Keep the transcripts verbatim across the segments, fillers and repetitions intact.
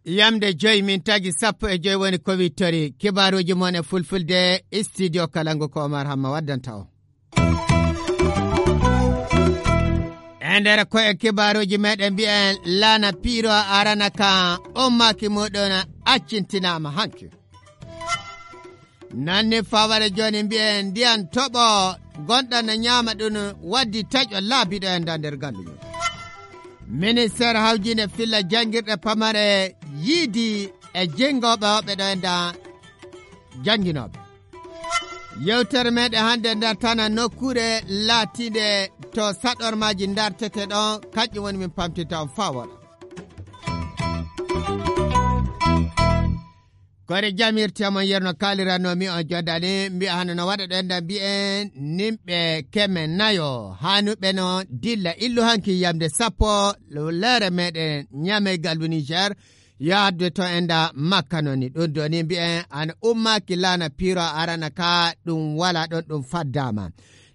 Yamde joyi min tagi sappo e joyi woni ko wittori. Kibaaruuji mon e fulfulde, studio Kalangu ko Omar Hamma waddanta o. E nder ko e kibaaruuji meɗen mbiyen laana piiro arana ka ummaaki muɗum accintinaama hanki. Nanni faware jooni mbiyen ndiyan toɓo gonɗan no ñaama ɗum waddi taƴo laabiɗo e nda nder gandu mum. Ministeer hawjinde filla janngirɗe pamare yiidi e jinngooɓe woɓɓe ɗo e nda jannginooɓe. Yewtere meɗen hannde ndartana nokkuure laatiinde to saɗormaaji ndartete ɗon, kanƴum woni min pamtinta on faa woɗa. Kore jamirte mon yerno kaalirano mi on joddani mbiya hano no waɗa ɗo enda mbiyen nimɓe keme nayo hanuɓe no dilla illu hanki yamde sappo lere meɗen ñamey gallu Niger. Yo addu to enda makka noni ɗum doni mbiyen ana ummaki lana piro arana ka ɗum wala ɗon ɗum faddama.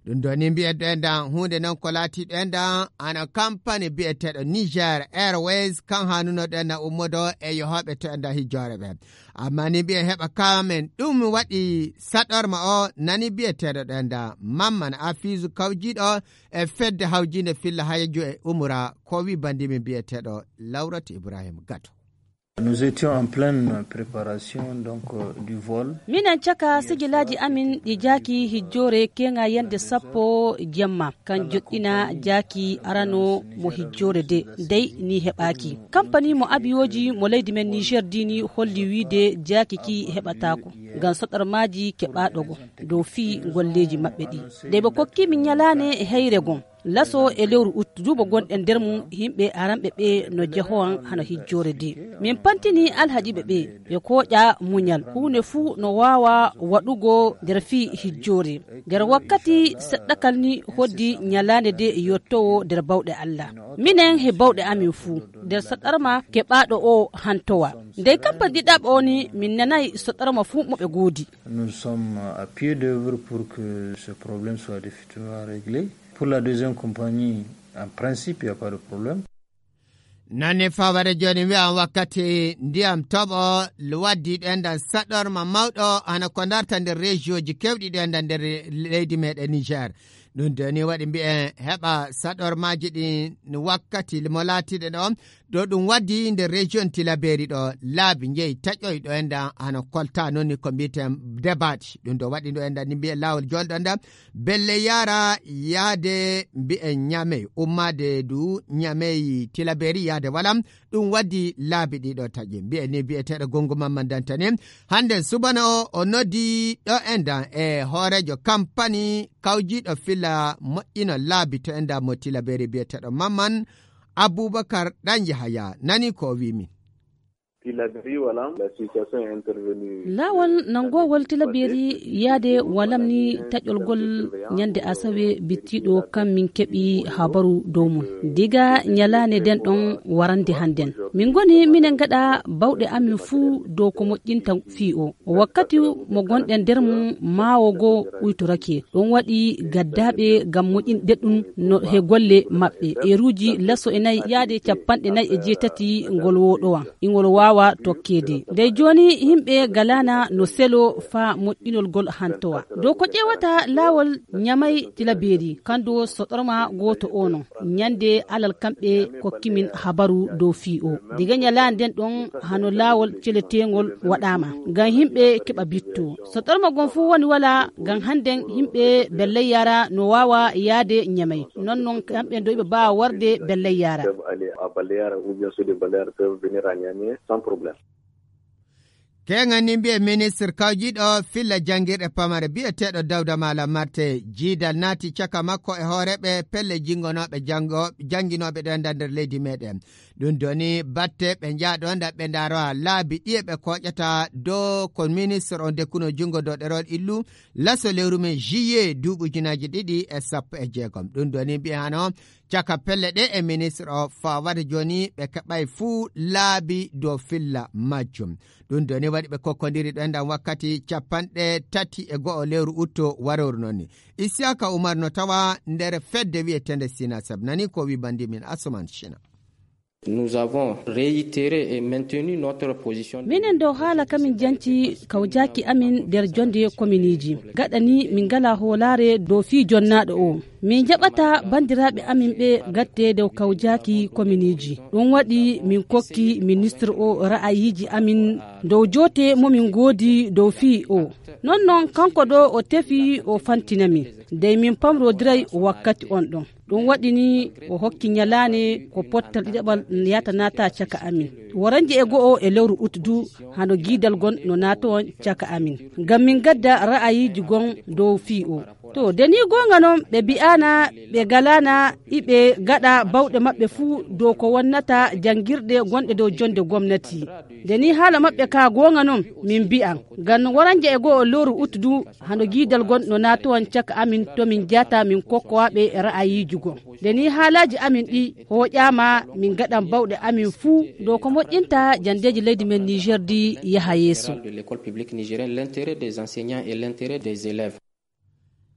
Ɗum ɗo ni mbiyen ɗo endan huunde noon ko laati ɗo endan ana kampani biyeteeɗo Niger Airways kan haanuno ɗo endan ummodo e yohooɓe to endan hijjoore ɓe. Amma ni mbiyen heɓa kamen ɗum waɗi saɗorma o nani biyeteeɗo ɗo endan Mamman Afiisu kawjiiɗo e fedde hawjiinde filla hayaju e umura ko wi bandimi biyeteeɗo Lawratu Ibrahim Gato. Nous étions en pleine préparation donc euh, du vol. Minen caka sigilaaji amin ɗi jaaki hijjoore keŋa yande sappo jemma kan joɗɗina jaaki arano mo hijjoore de dey ni heɓaaki. Kampani mo abiyooji mo leydi men Niger dini holli wiide jaaki ki heɓataako ngam soɗormaaji keɓaaɗo go dow fii golleeji maɓɓe ɗi dey ɓe kokki min ñalaane heyre gon. Laso e lewru ut duuɓo gonɗen nder mum yimɓe aranɓe ɓe no jehowan hano hijjoore de. Min pantini alhajiɓe ɓe ɓe kooƴa muñal huunde fuu no waawa waɗugo nder fii hijjoore. Nder wakkati seɗɗakal ni hoddi ñalaande de yottowo nder bawɗe Allah. Minen he bawɗe amin fuu nder saɗarma keɓaaɗo o hantowa. Ndey kampan ɗiɗaɓo o ni min nanayi saɗarma fuu mo ɓe goodi. Nous sommes à pied d'œuvre pour que ce problème soit définitivement réglé. Pour la deuxième compagnie, en principe, il n'y a pas de problème. Nanni fawade jooni wi'an wakkati ndiyam toɓo waddi ɗo endan saɗorma mawɗo hano ko darta nder région ji kewɗi ɗo endan nder leydi meɗen Niger. Ɗum doni waɗi mbi'en heɓa saɗormaji ɗin wakkati mo laatiɗe ɗo ɗo ɗum waddi nder région Tilaberi ɗo laabi njeyi taƴoy ɗo endan hano kolta noni ko mbi'eten debati ɗum ɗo waɗi ɗo endan ni mbi'en laawol jolɗo endan belle yara yaade mbi'en ñamey ummaade du ñamey Tilaberi yaade walam. Ɗum waddi laabi ɗiɗo taƴi mbi'en ni mbi'eteeɗo gongu mamma dantani hande subana o o noddi ɗo endan e hoorejo kampani kawjiiɗo filla moƴƴino laabi to endan mo Tilaberi mbi'eteeɗo Mamman Abubakar ɗan Yahaya nani ko o wi min. Tilaberi walam la situation est intervenue. Laawol nanngowol Tilaberi yaade walam ni taƴolgol ñande asawe bittiiɗo kam min keɓi habaru dow mum diga ñalaande nden ɗon warande hannden. Min ngoni minen ngaɗa bawɗe amin fuu dow ko moƴƴinta fii o. Wakkati mo gonɗen nder mum maawo goo uytorake. Ɗum waɗi gaddaaɓe ngam moƴƴinde ɗum no he golle maɓɓe. Eeruuji laso e nayi yaade cappanɗe nayi e jeetati ngol woɗowan. Ingol waawa tokkeede. Ndey jooni yimɓe galaana no selo faa moƴƴinol gol hantowa. Dow ko ƴeewata laawol ñamay Tilaberi, kandu soɗorma gooto o non. Ñande alal kamɓe kokki min habaru dow fii o. Diga ñalaande nden ɗon hano laawol celeteengol waɗaama ngam yimɓe keɓa bitto. So ɗorma gon fuu woni wala ngam hannden yimɓe belley yara no waawa yaade ñamay. Non non kamɓe ndo ɓe mbaawa warde belley yara. Peuvent aller à Balear ou bien ceux de Balear peuvent venir à Niamey sans problème. Keŋan ni mbi'e ministre kawjiiɗo filla janngirɗe pamare bi'eteeɗo Dawda Malam Marte jiidal naati caka makko e hooreeɓe pelle jinngonooɓe janngo- jannginooɓe ɗo e nder leydi meɗen. Ɗum doni batte ɓe njaaɗo nda ɓe ndaroa laabi ɗiye ɓe kooƴata dow ko ministre on dekkuno junngo dow ɗerol illu laso lewru men juillet duuɓi ujunaaji ɗiɗi e sappo e jeegom. Ɗum doni mbi'e hano Caka pelle ɗe e ministre o fawata jooni ɓe keɓay fuu laabi dow filla majjum. Ɗum doni waɗi ɓe kokkondiri ɗo enɗan wakkati capanɗe tati e go'o lewru utto waroru noon ni. Isiyaka Umar no tawa nder fedde wi'eteende Sina Sab. Nani ko wi bandi min Asuman Shina. Nous avons réitéré et maintenu notre position. Minen dow haala kamin janci kawjaaki amin nder jonde kominiiji. Gaɗa ni min ngala hoolaare dow fii jonnaaɗo o. Min jaɓata banndiraaɓe amin ɓe gatte dow kawjaaki kominiiji. Ɗum waɗi min kokki ministre o ra'ayiiji amin dow joote mo min ngoodi dow fii o. Non non kanko ɗo o tefi o fantina min. Dey min pamrodiray wakkati on ɗon. Ɗum waɗi ni o hokki nyalaane ko pottal ɗiɗaɓal yata naata caka amin. Waranje e go'o e lewru ut du hano giidal gon no naata on caka amin. Ngam min gadda ra'ayiiji gon dow fii o. To, de ni goonga non ɓe bi'aana, ɓe galaana, iɓe gaɗa bawɗe maɓɓe fuu dow ko wonnata janngirɗe gonɗe dow jonde gomnati. De ni haala maɓɓe ka goonga non min bi'an. Ngam waranje e go'o lewru ut du hano giidal gon no naata on caka amin to min jaata min kokkowaɓe ra'ayiiji gon. De ni haalaaji amin ɗi hooƴaama min gaɗan bawɗe amin fuu dow ko moƴƴinta jandeeji leydi men Niger di yaha yeeso. De l'école publique nigérienne, l'intérêt des enseignants et l'intérêt des élèves.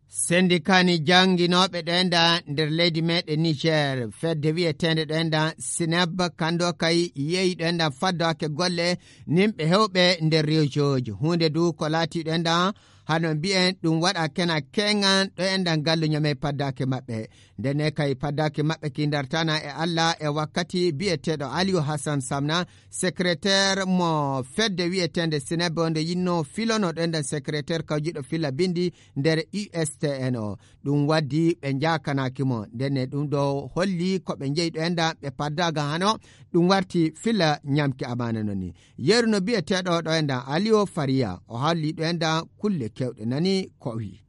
Sendikani jannginooɓe ɗo enɗan nder leydi meɗen Niger, fedde wi'eteende ɗo enɗan Sineb, kando kay yehi ɗo enɗan faddaake golle nimɓe hewɓe nder rewjooji. Huunde du ko laati ɗo enɗan hano mbi'en ɗum waɗa kena keŋan ɗo enɗan gallu ñamey paddaake maɓɓe. Ndene kay paddaake maɓɓe ki dartana e Alla e wakkati bi'eteeɗo Aliyu Hassan Samna, secrétaire mo fedde wi'eteende Sineb, nde yinno filono ɗo enɗan secrétaire kawjiɗo fila bindi nder U S T N o. Ɗum waddi ɓe njaakanaaki mo. Ndene ɗum ɗo holli ko ɓe njeyi ɗo enɗan ɓe paddaaga hano ɗum warti fila ñamki amaana non ni. Yeru no bi'eteeɗo ɗo enɗan Aliyo Fariya, o halli ɗo enɗan kulle kewɗe nani ko wi.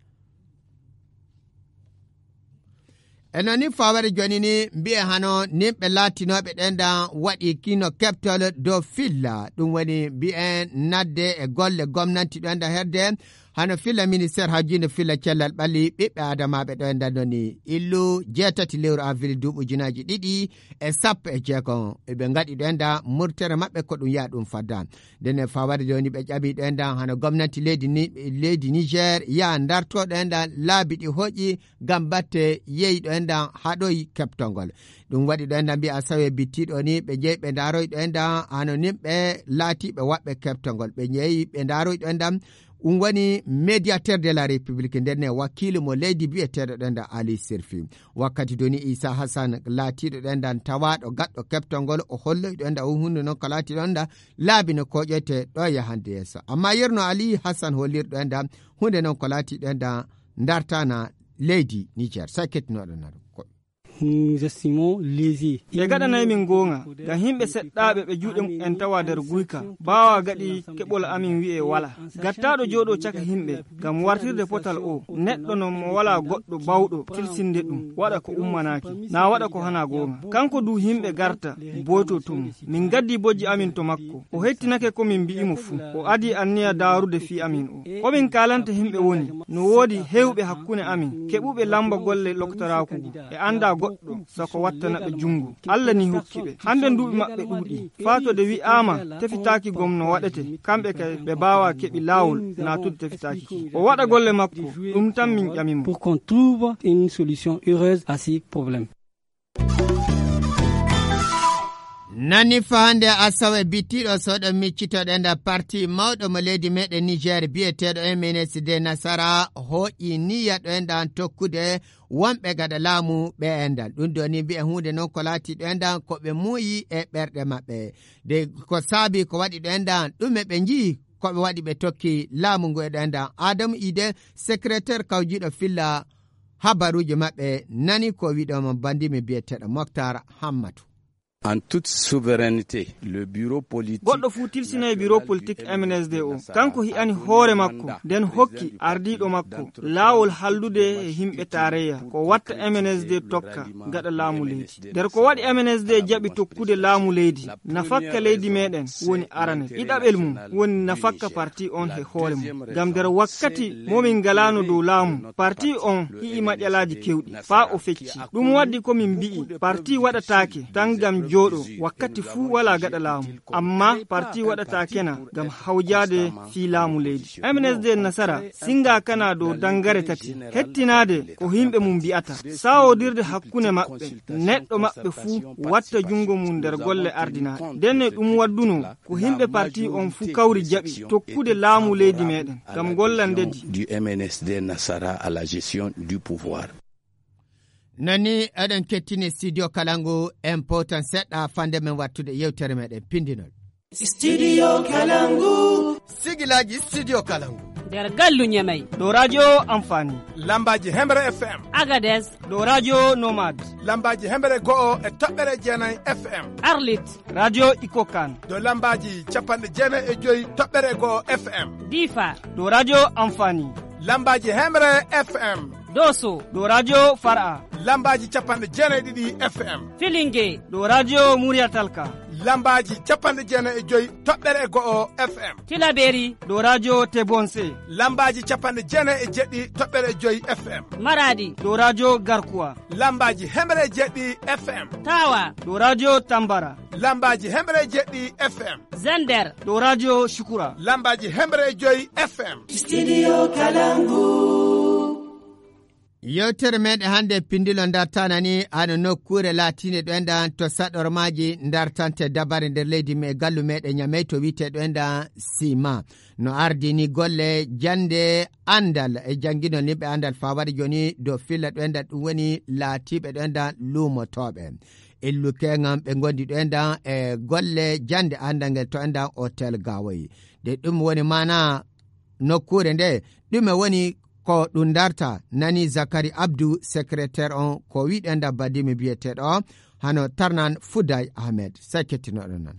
E non ni fawere jooni ni mbi'e hano nimɓe laatinooɓe ɗo enɗan waɗi kino keɓtol dow filla. Ɗum woni mbi'en nadde e golle gomnanti ɗo enɗan hedde hano filla ministère hawjinde filla cellal ɓalli ɓiɓɓe adamaaɓe ɗo enɗan non ni illu jeetati lewru avril duuɓi ujunaaji ɗiɗi e sappo e jeego. Eɓe ngaɗi ɗo enɗan murtere maɓɓe ko ɗum yaha ɗum fadda. Ndene fawade jooni ɓe ƴami ɗo enɗan hano gomnanti leydi ni, leydi Niger yaha darto ɗo enɗan laabi ɗi hoƴi ngam batte yehi ɗo enɗan haɗoyi keɓtongol. Ɗum waɗi ɗo enɗan mbi'a sawe bittiɗo ni ɓe jeyi ɓe ndaroyi ɗo enɗan hano nimɓe laatiɓe waɓɓe keɓtongol. Ɓe jeyi ɓe ndaroyi ɗo enɗan ɗum woni médiateur de la République nder ne wakiilu mo leydi bi'eteeɗo ɗo enɗan Ali Sirfi. Wakkati doni Isa Hassan laatiɗo ɗo enɗan tawaaɗo gaɗɗo keɓtongol o holloyi ɗo enɗan o hunde non ko laati ɗo enɗan laabi no koƴete ɗo yahande yeeso. Amma yerno Ali Hassan hollirɗo enɗan hunde non ko laati ɗo enɗan dartana leydi Niger. Sakkitinoɗo naro. Nous estimons lésé. Ɓe gaɗanay min goonga, ngam yimɓe seɗɗaaɓe ɓe juuɗe mumen tawa nder guyka, baawa gaɗi keɓol amin wi'e wala. Gattaaɗo jooɗo caka yimɓe, ngam wartirde potal o, neɗɗo non mo wala goɗɗo bawɗo tilsinde ɗum, waɗa ko ummanaaki, na waɗa ko hana goonga. Kanko du yimɓe garta, boyto to mum. Min gaddi bojji amin to makko. O hettinake ko min mbi'imo fuu. O adi anniya daarude fii amin o. Ko min kaalanta yimɓe woni, no woodi hewɓe hakkunde amin, keɓuɓe lamba golle loktoraaku ngu, e anda goɗɗo, sako wattana ɓe jungo. Allah ni hokki ɓe. Hande duuɓi maɓɓe ɗuuɗi. Faa to de wi'aama tefitaaki gom no waɗete, kamɓe kay ɓe baawa keɓi laawol naatude tefitaaki ki. O waɗa golle makko, ɗum tan min ƴamimo. Pour qu'on trouve une solution heureuse à ces problèmes. Nani fa hande asawe bittiɗo soɗo miccitoɗen da parti mawɗo mo leydi meɗen Niger biyeteɗo M N S D Nasara hooƴi niyya ɗo enɗan tokkude wonɓe gaɗa laamu ɓe enɗan. Ɗum ɗo ni mbi'e huunde non ko laati ɗo enɗan ko ɓe muuyi e ɓerɗe maɓɓe. De ko saabi ko waɗi ɗo enɗan ɗume ɓe nji'i ko ɓe waɗi ɓe tokki laamu ngu e ɗo enɗan. Adamu Ide, secrétaire kawjiɗo filla habaruuji maɓɓe nani ko wiɗo mo bandimi biyeteɗo Moctar Hammatu. en toute souveraineté, le bureau politique. Goɗɗo fuu tilsinoy biro politik M N S D o. Kanko hi'ani hoore makko, nden hokki ardiiɗo makko laawol hallude e himɓe taarayya ko watta M N S D tokka gaɗa laamu leydi. Nder ko waɗi M N S D jaɓi tokkude laamu leydi, nafakka leydi meɗen woni arane. Ɗiɗaɓel mum woni nafakka parti on he hoore mum. Ngam nder wakkati mo min ngalaano dow laamu, parti on hi'i maƴalaaji kewɗi, faa o fecci. Ɗum waddi ko min mbi'i, parti waɗataake tan ngam jooɗo wakkati fuu walaa gaɗa laamu. Amma parti waɗataake na ngam hawjaade fii laamu leydi. M N S D Nasara singa kana dow dangare tati. Hettinaade ko himɓe mum mbi'ata. Sawodirde hakkunde maɓɓe. Neɗɗo maɓɓe fuu watta junngo mum nder golle ardinaaɗe. Ndenne ɗum wadduno ko himɓe parti on fuu kawri jaɓi tokkude laamu leydi meɗen ngam golla ndedi. Du M N S D Nasara à la gestion du pouvoir. Nani eɗen kettini studio Kalangu, en powtan seɗɗa fande men wattude yewtere meɗen pindinol. Studio Kalangu. Sigilaji Studio Kalangu. Nder gallu Ñamey. Ɗo radio Amfani. Lambaji Hemre F M. Agades. Ɗo radio Nomad. Lambaji Hemre go'o e toɓɓere jeenay F M. Arlit. Radio Ikokan. Ɗo lambaji capanɗe jeenay e joyi toɓɓere go'o F M. Difa. Ɗo radio Amfani. Lambaji Hemre F M. Doso. Ɗo radio Far'a. Lambaji capanɗe jeenay ɗiɗi F M. Filinge. Ɗo radio Muriyatalka. Lambaji capanɗe jeenay e joyi toɓɓere e go'o F M. Tilaberi. Ɗo radio Tebonse. Lambaji capanɗe jeenay e jeɗɗi toɓɓere e joyi F M. Maradi. Ɗo radio Garkuwa. Lambaji hemre e jeɗɗi F M. Tawa. Ɗo radio Tambara. Lambaji hemre e jeɗɗi F M. Zender. Ɗo radio Shukura. Lambaji hemre e joyi F M. Studio Kalangu. Yewtere meɗen hannde pindilo dartanani hano nokkuure laatiinde ɗo enɗan to saɗormaaji dartante dabare nder leydi me gallu meɗen Ñamey to wi'ete ɗo enɗan Sima. No ardini golle jannde anndal e jannginol yimɓe anndal faa waɗi jooni dow filla ɗo enɗan ɗum woni laatiiɓe ɗo enɗan luumotooɓe. Illuke ngam ɓe ngondi ɗo enɗan e golle jannde anndal ngel to enɗan Hotel Gawoy. De ɗum woni maana nokkuure nde, ɗume woni ko ɗum darta? Nani Zakari Abdu, secrétaire on, ko wi'ɗen da Badimi biyeteeɗo, hano tarnan Fuday Ahmed. Sey kettinoɗon nan.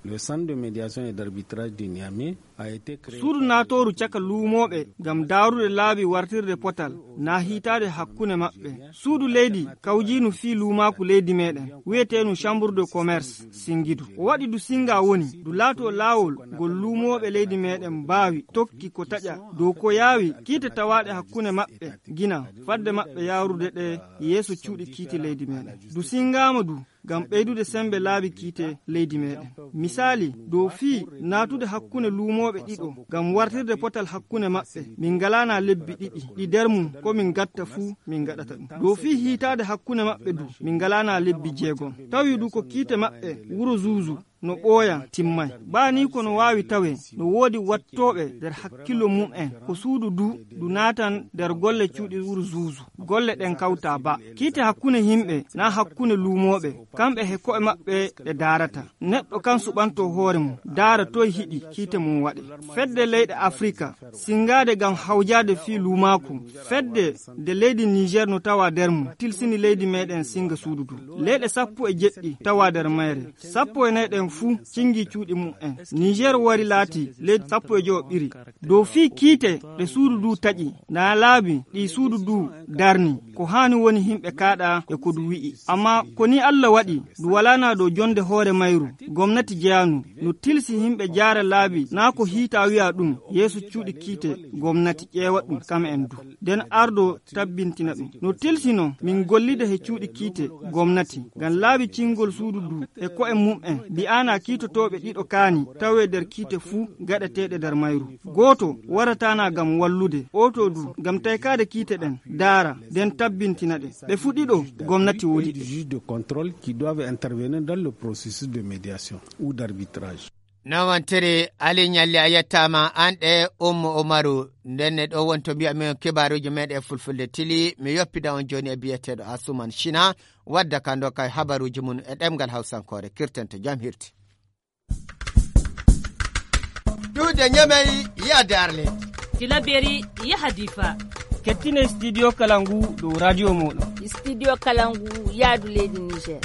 Le centre de médiation et d'arbitrage de Niamey a été créé. Suudu naatooru caka luumooɓe ngam daarude laabi wartirde potal naa hiitaade hakkunde maɓɓe. Suudu leydi kawjiinu fii luumaaku leydi meɗen, wi'eteenu Chambre de Commerce Singidu. O waɗi du singa woni, du laato laawol ngol luumooɓe leydi meɗen mbaawi tokki ko taƴa dow ko yaawi kiite tawaaɗe hakkunde maɓɓe gina, fadde maɓɓe yaarude ɗe yeeso cuuɗi kiite leydi meɗen. Du singaama du ngam ɓeydude sembe laabi kiite leydi meɗen. Misaali, dow fii naatude hakkunde luumooɓe ɗiɗo ngam wartirde potal hakkunde maɓɓe, min ngalaana lebbi ɗiɗi, ɗi nder mum ko min gatta fuu, min ngaɗata ɗum. Dow fii hiitaade hakkunde maɓɓe du, min ngalaana lebbi jeegom. Tawi du ko kiite maɓɓe wuro Zuuzu no ɓooya timmay. Baa nii ko no waawi tawee, no woodi wattooɓe nder hakkillo mum'en, ko suudu du, du naatan nder golle cuuɗi wuro Zuuzu. Golle ɗen kawta ba. Kiite hakkunde yimɓe, naa hakkunde luumooɓe, kamɓe he ko'e maɓɓe ɓe daarata. Neɗɗo kan suɓanto hoore mum, daara toy hiɗi kiite mum waɗe. Fedde leyɗe Afrika, singaade ngam hawjaade fii luumaaku. Fedde nde leydi Niger no tawa nder mum, tilsini leydi meɗen singa suudu du. Leyɗe sappo e jeɗɗi tawa nder mayre. Sappo e nayi ɗen fuu cingi cuuɗi mum'en. Niger wari laati leydi sappo e jowo ɓiri. Dow fii kiite ɗe suudu du taƴi, naa laabi ɗi suudu du darni, ko haani woni yimɓe kaaɗa e ko du wi'i. Amma ko ni Alla waɗi, du walaana dow jonde hoore mayru, gomnati jeyaanu, no tilsi yimɓe jaara laabi, naa ko hiita wi'a ɗum, yeeso cuuɗi kiite, gomnati ƴeewa ɗum, kam en du. Nden ardo tabbintina ɗum. No tilsino min gollida he cuuɗi kiite gomnati, ngam laabi cingol suudu du e ko'e mum'en, mbi'aana kiitotooɓe ɗiɗo kaani tawee nder kiite fuu gaɗeteeɗe nder mayru. Gooto warataana ngam wallude, ooto du ngam taykaade kiite ɗen, daara, nden tabbintina ɗe. Ɓe fuu ɗiɗo gomnati woodi. Des juges de contrôle qui doivent intervenir dans le processus de médiation ou d'arbitrage. Nawantiri Ali Ñalli, a yettaama, aan ɗe Ummu Umaru. Ndenne ɗo woni to mbiya min kibaaruuji meɗen fulfulde tili. Mi yoppida on jooni e biyeteeɗo Asuman Sina, wadda ka ndoka e habaruuji mum e ɗemngal Hawsankoore. Kirten to jam hirti. Duude Ñamey, yaade Arlet. Tilaberi, yaha Difa. Kettine studio Kalangu dow radio mooɗon. Studio Kalangu, yaadu leydi Niger.